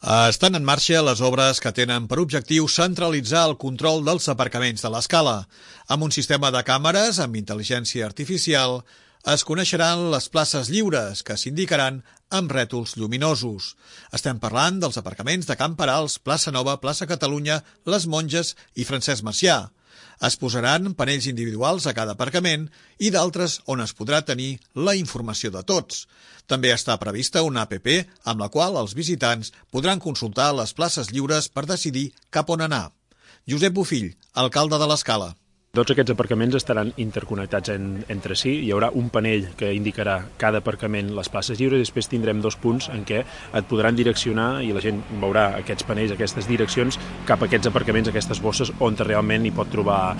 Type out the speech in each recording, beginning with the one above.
Estan en marxa les obres que tenen per objectiu centralitzar el control dels aparcaments de l'Escala. Amb un sistema de càmeres amb intel·ligència artificial es coneixeran les places lliures que s'indicaran amb rètols lluminosos. Estem parlant dels aparcaments de Can Perals, Plaça Nova, Plaça Catalunya, Les Monges i Francesc Macià. Es posaran panells individuals a cada aparcament i d'altres on es podrà tenir la informació de tots. També està prevista una app amb la qual els visitants podran consultar les places lliures per decidir cap on anar. Josep Bofill, alcalde de l'Escala. Tots aquests aparcaments estaran interconnectats entre si. Hi haurà un panell que indicarà cada aparcament les places lliures i després tindrem dos punts en què et podran direccionar i la gent veurà aquests panells, aquestes direccions cap a aquests aparcaments, aquestes bosses on realment hi pot trobar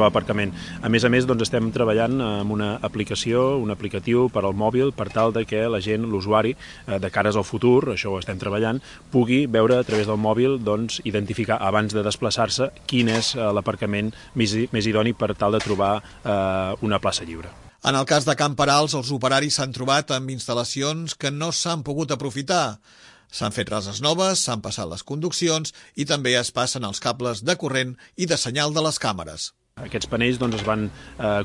aparcament. A més, doncs, estem treballant amb una aplicació, un aplicatiu per al mòbil per tal de que la gent, l'usuari, de cares al futur, això ho estem treballant, pugui veure a través del mòbil, doncs, identificar abans de desplaçar-se quin és l'aparcament més idoni per tal de trobar una plaça lliure. En el cas de Can Perals, els operaris s'han trobat amb instal·lacions que no s'han pogut aprofitar. S'han fet rases noves, s'han passat les conduccions i també es passen els cables de corrent i de senyal de les càmeres. Aquests panells es van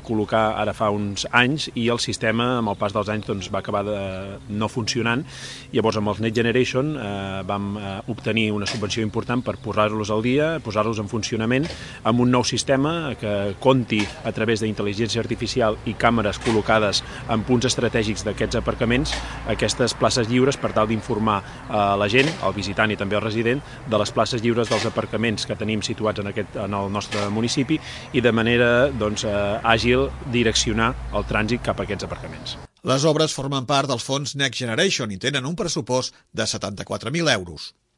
col·locar ara fa uns anys i el sistema, amb el pas dels anys, va acabar no funcionant. Llavors, amb els Next Generation vam obtenir una subvenció important per posar-los al dia, posar-los en funcionament amb un nou sistema que compti a través d'intel·ligència artificial i càmeres col·locades en punts estratègics d'aquests aparcaments, aquestes places lliures per tal d'informar la gent, el visitant i també el resident, de les places lliures dels aparcaments que tenim situats en el nostre municipi i de manera àgil direccionar el trànsit cap a aquests aparcaments. Les obres formen part del fons Next Generation i tenen un pressupost de 74.000 euros.